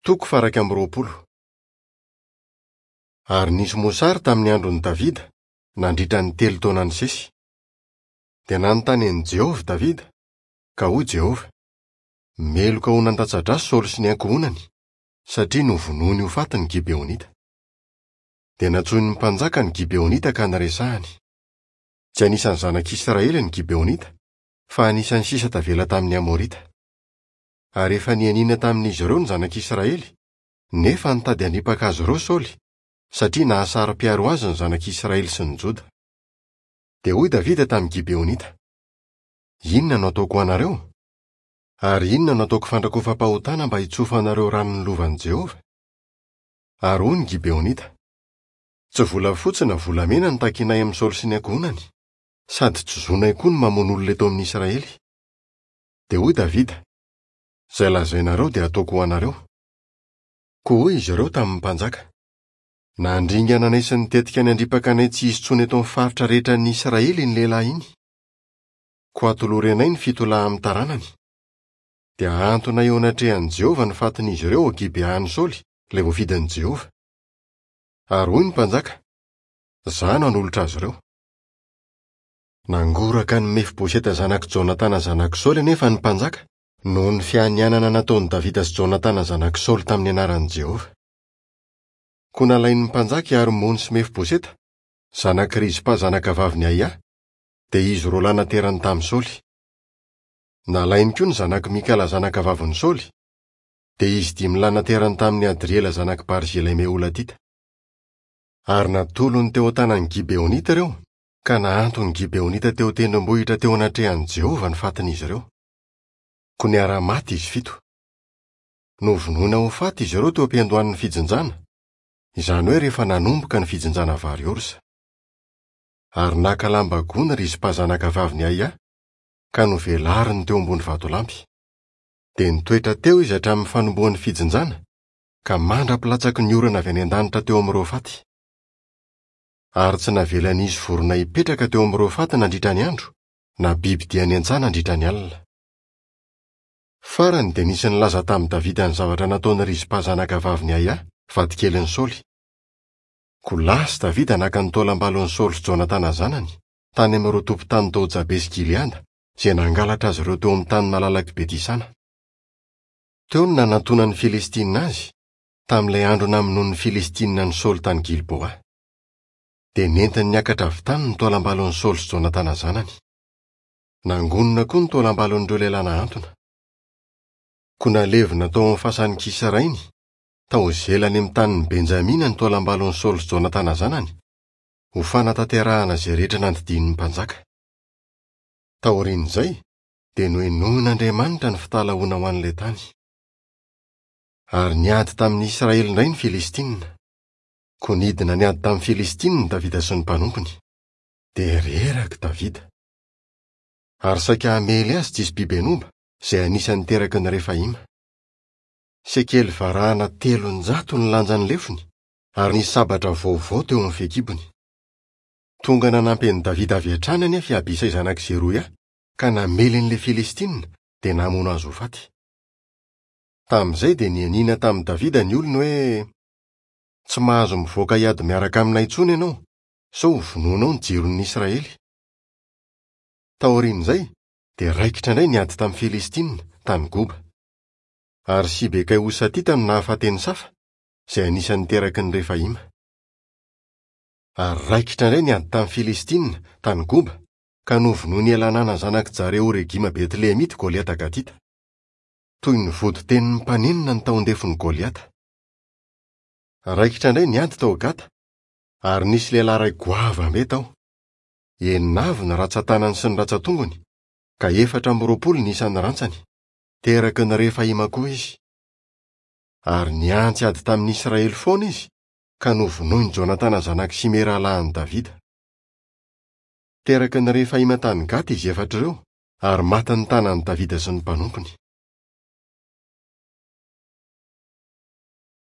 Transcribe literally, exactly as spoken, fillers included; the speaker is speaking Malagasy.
Toko faha-iraika amby roapolo. Ary nisy mosary tamin'ny andron'i Davida, nandritra ny telo taona nisesy. Dia nanontany an'i Jehovah Davida, ka hoy Jehovah: Meloka ho nandatsa-drà Saoly sy ny ankohonany, satria novonoiny ho faty ny Gibeonita. Dia nantsoin'ny mpanjaka ny Gibeonita ka niresahany. Tsy anisan'ny zanak'Israely ny Gibeonita, fa anisan'ny sisa tavela tamin'ny Amorita. Ary efa nianiana tamin'izy ireo ny zanak'Israely, nefa nitady hanipaka azy ireo Saoly, satria nahasaro-piaro azy ny zanak'Israely sy ny Joda. Dia hoy Davida tamin'ny Gibeonita: Inona no ataoko ho anareo? Ary inona no ataoko fandrakofam-pahotana mba hitsofanareo ranon'ny lovan'i Jehovah? Ary hoy ny Gibeonita: Tsy volafotsy na volamena no takinay amin'i Saoly sy ny ankohonany, sady tsy zonay koa ny mamono olona eto amin'ny Israely. Dia hoy Davida: Izay lazainareo dia ataoko ho anareo. Koa hoy izy ireo tamin'ny mpanjaka: Nandringana anay sy nitetika ny handripaka anay tsy hisy intsony eto amin'ny faritra rehetra ny Israely iny lehilahy iny. Koa atolory anay ny fito lahy amin'ny taranany. Dia ahantona eo anatrehan'i Jehovah ny fatin'izy ireo ao Gibean'i Saoly, ilay voafidin'i Jehovah. Ary hoy ny mpanjaka: Izaho no hanolotra azy ireo. Nangoraka an'i Mefiboseta zanak'i Jonatana zanak'i Saoly anefa ny mpanjaka, noho ny fianianana nataon'i Davida sy Jonatana zanak'i Saoly tamin'ny anaran'i Jehovah. Koa nalain'ny mpanjaka i Armony sy Mefiboseta, zanak'i Rizpa zanakavavin'i Aia, dia izy roa lahy naterany tamin'i Saoly. Nalainy koa ny zanak'i Mikala zanakavavin'i Saoly, dia izy dimy lahy naterany tamin'i Adriela zanak'i Barzilay Meholatita. Ary natolony teo an-tanan'ny Gibeonita ireo, ka nahanton'ny Gibeonita teo an-tendrombohitra teo anatrehan'i Jehovah ny fatin'izy ireo. Koa niara-maty izy fito. Novonoina ho faty izy ireo teo am-piandohan'ny fijinjana, izany hoe rehefa nanomboka ny fijinjana vary orza. Ary naka lamba gony Rizpa zanakavavin'i Aia, ka novelariny teo ambony vatolampy. Dia nitoetra teo izy hatramin'ny fanombohan'ny fijinjana, ka mandra-pilatsaky ny orana avy any an-danitra teo amin'ireo faty. Ary tsy navelan'izy vorona hipetraka teo amin'ireo faty nandritra ny andro, na biby dia any an-tsaha nandritra ny alina. Farany dia nisy nilaza tamin'i Davida ny zavatra nataon'i Rizpa zanakavavin'i Aia, vadikelin'i Saoly. Koa lasa Davida naka ny taolam-balon'i Saoly sy Jonatana zanany, tany amin'ireo tompon-tany tao Jabesy Gileada, izay nangalatra azy ireo teo amin'ny tany malalak'i Betisana. Teo no nanantonan'ny Filistinina azy, tamin'ilay andro namonoan'ny Filistinina an'i Saoly tany Gilboa. Dia nentiny niakatra avy tany ny taolam-balon'i Saoly sy Jonatana zanany. Nangonina koa ny taolam-balon'ireo lehilahy nahantona. Koa nalevina tao amin'ny fasan'i Kisa rainy, tao Zela any amin'ny tanin'i Benjamina ny taolam-balon'i Saoly sy Jonatana zanany, ho fanatanterahana izay rehetra nandidian'ny mpanjaka. Taorian'izay, dia nohenoin'Andriamanitra ny fitalahoana ho an'ilay tany. Ary niady tamin'ny Israely indray ny Filistinina. Koa nidina niady tamin'ny Filistinina Davida sy ny mpanompony. Dia reraka Davida. Ary saika hamely azy Jisbi-Benoba, izay anisan'ny teraky ny Refaima. Sekely varahana telonjato ny lanjan'ny lefony, ary nisy sabatra vaovao teo amin'ny fehikibony. Tonga nanampy an'i Davida avy hatrany anefa i Abisay zanak'i Zeroia, ka namely an'ilay Filistinina, dia namono azy ho faty. Tamin'izay dia nianiana tamin'i Davida ny olony hoe: Tsy mahazo mivoaka hiady miaraka aminay intsony ianao, sao hovonoinao ny jiron'ny Israely. Taorian'izay, dia raikitra indray ny ady tamin'ny Filistinina, tany Goba. Ary Sibekay Hosatita no nahafaty an'i Safa, izay anisan'ny teraky ny Refaima. Ary raikitra indray ny ady tamin'ny Filistinina, tany Goba, ka novonoin'i Elanana zanak'i Jare-Oregima Betlehemita Goliata Gatita. Toy ny voditenin'ny mpanenina ny tahon-defon'i Goliata. Raikitra indray ny ady tao Gata, ary nisy lehilahy iray goavambe tao. Enina avy ny rantsan-tanany sy ny rantsan-tongony, ka efatra amby roapolo ny isan'ny rantsany. Teraky ny Refaima koa izy. Ary niantsy ady tamin'ny Israely foana izy, ka novonoin'i Jonatana zanak'i Simea rahalahin'i Davida. Teraky ny Refaima tany Gata izy efatra ireo, ary matin'ny tanan'i Davida sy ny mpanompony.